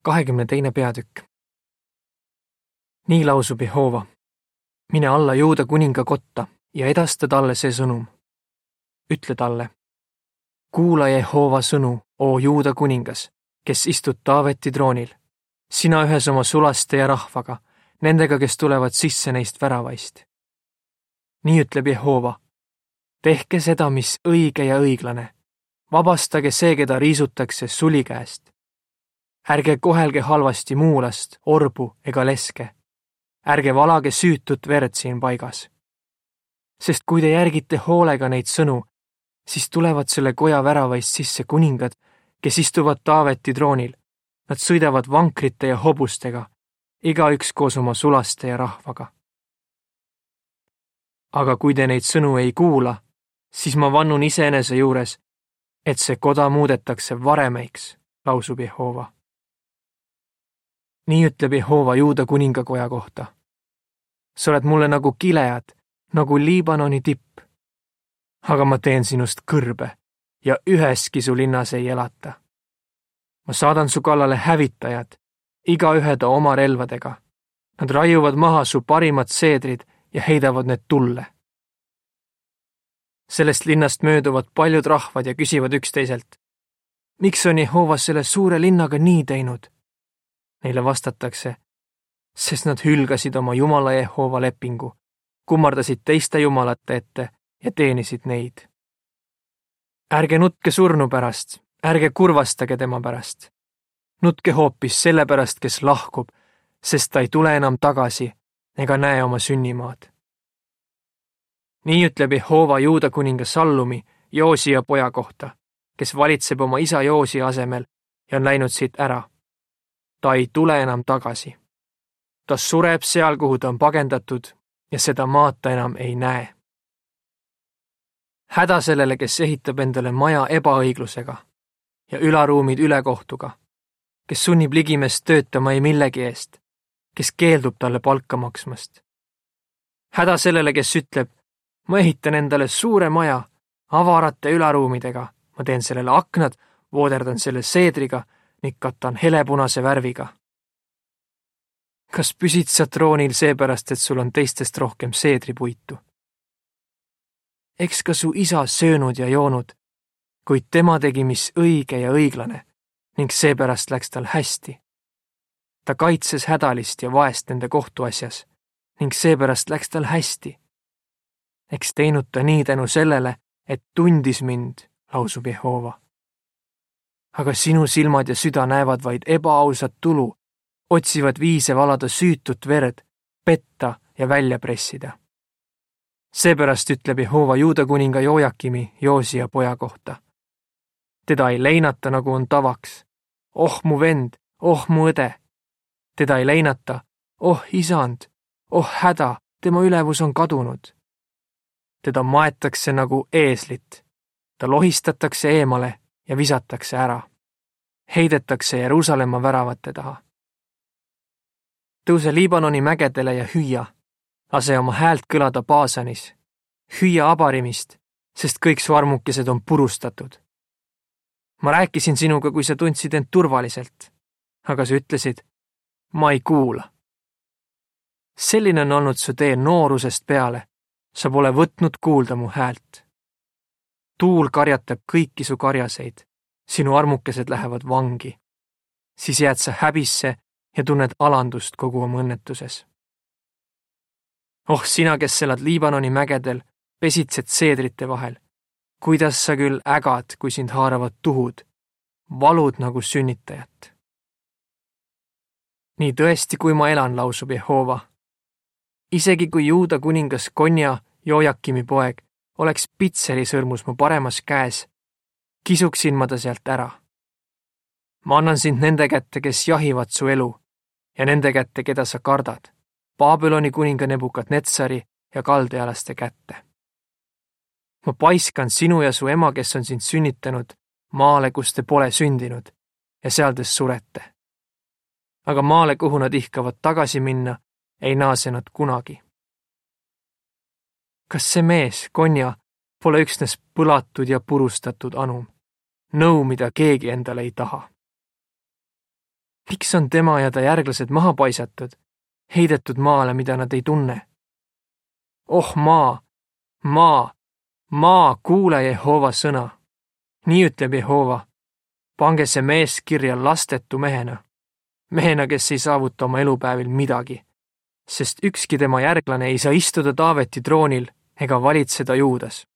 22. peatükk. Nii lausub Jehova. Mine alla Juuda kuninga kotta ja edasta talle see sõnum. Ütle talle. Kuula Jehova sõnu, o Juuda kuningas, kes istud Taaveti troonil. Sina ühes oma sulaste ja rahvaga, nendega, kes tulevad sisse neist väravaist. Nii ütleb Jehova. Tehke seda, mis õige ja õiglane. Vabastage see, keda riisutakse suli käest. Ärge kohelge halvasti muulast, orbu ega leske. Ärge valage süütut verd siin paigas. Sest kui te järgite hoolega neid sõnu, siis tulevad selle koja väravaist sisse kuningad, kes istuvad Taaveti troonil. Nad sõidavad vankrite ja hobustega, igaüks koos oma sulaste ja rahvaga. Aga kui te neid sõnu ei kuula, siis ma vannun iseenese juures, et see koda muudetakse varemeiks, lausub Jehova. Nii ütleb Jehova Juuda kuningakoja kohta. Sa oled mulle nagu Gilead, nagu Liibanoni tipp. Aga ma teen sinust kõrbe ja üheski su linnas ei elata. Ma saadan su kallale hävitajad, igaühe ta oma relvadega. Nad raiuvad maha su parimad seedrid ja heidavad need tulle. Sellest linnast mööduvad paljud rahvad ja küsivad üksteiselt. Miks on Jehova selle suure linnaga nii teinud? Neile vastatakse, sest nad hülgasid oma Jumala Jehova lepingu, kummardasid teiste jumalate ette ja teenisid neid. Ärge nutke surnu pärast, ärge kurvastage tema pärast. Nutke hoopis selle pärast, kes lahkub, sest ta ei tule enam tagasi ega näe oma sünnimaad. Nii ütleb Jehova Juuda kuninga Sallumi, Joosia poja kohta, kes valitseb oma isa Joosia asemel ja on läinud siit ära. Ta ei tule enam tagasi. Ta sureb seal, kuhu ta on pagendatud ja seda maad ta enam ei näe. Häda sellele, kes ehitab endale maja ebaõiglusega ja ülaruumid ülekohtuga, kes sunnib ligimest töötama ei millegi eest, kes keeldub talle palka maksmast. Häda sellele, kes ütleb, ma ehitan endale suure maja avarate ülaruumidega, ma teen sellele aknad, vooderdan selle seedriga ning katan helepunase värviga. Kas püsid sa troonil seepärast, et sul on teistest rohkem seedripuitu? Eks ka su isa söönud ja joonud, kuid tema tegi, mis õige ja õiglane, ning seepärast läks tal hästi. Ta kaitses hädalist ja vaest nende kohtuasjas, ning seepärast läks tal hästi. Eks teinud ta nii tänu sellele, et tundis mind, lausub Jehova. Aga sinu silmad ja süda näevad vaid ebaausat tulu, otsivad viise valada süütut verd, petta ja välja pressida. Seepärast ütleb Jehova Juuda kuninga Jojakimi, Joosia poja kohta. Teda ei leinata, nagu on tavaks. Oh mu vend, oh mu õde. Teda ei leinata, oh isand, oh häda, tema ülevus on kadunud. Teda maetakse nagu eeslit. Ta lohistatakse eemale ja visatakse ära. Heidetakse Jeruusalemma väravate taha. Tõuse Liibanoni mägedele ja hüüa. Lase oma häält kõlada Baasanis. Hüüa Abarimist, sest kõik su armukesed on purustatud. Ma rääkisin sinuga, kui sa tundsid end turvaliselt, aga sa ütlesid, ma ei kuula. Selline on olnud su tee noorusest peale. Sa pole võtnud kuulda mu häält. Tuul karjatab kõiki su karjaseid, sinu armukesed lähevad vangi. Siis jääd sa häbisse ja tunned alandust kogu oma õnnetuses. Oh, sina, kes elad Liibanoni mägedel, pesitsed seedrite vahel. Kuidas sa küll ägad, kui sind haaravad tuhud, valud nagu sünnitajat. Nii tõesti, kui ma elan, lausub Jehova. Isegi kui Juuda kuningas Konja, Jojakimi poeg, oleks pitseri sõrmus mu paremas käes, kisuksin ma ta sealt ära. Ma annan sind nende kätte, kes jahivad su elu, ja nende kätte, keda sa kardad, Babyloni kuninga Nebukadnetsari ja kaldealaste kätte. Ma paiskan sinu ja su ema, kes on sind sünnitanud, maale, kus te pole sündinud, ja seal te surete. Aga maale, kuhu nad ihkavad tagasi minna, ei naase nad kunagi. Kas see mees, Konja, pole üksnes põlatud ja purustatud anum, nõu, mida keegi endale ei taha? Miks on tema ja ta järglased maha paisatud, heidetud maale, mida nad ei tunne? Oh maa, maa, maa, kuule Jehova sõna. Nii ütleb Jehova. Pange see mees kirja lastetu mehena, kes ei saavuta oma elupäevil midagi, sest ükski tema järglane ei saa istuda Taaveti troonil ega valitseda Juudas.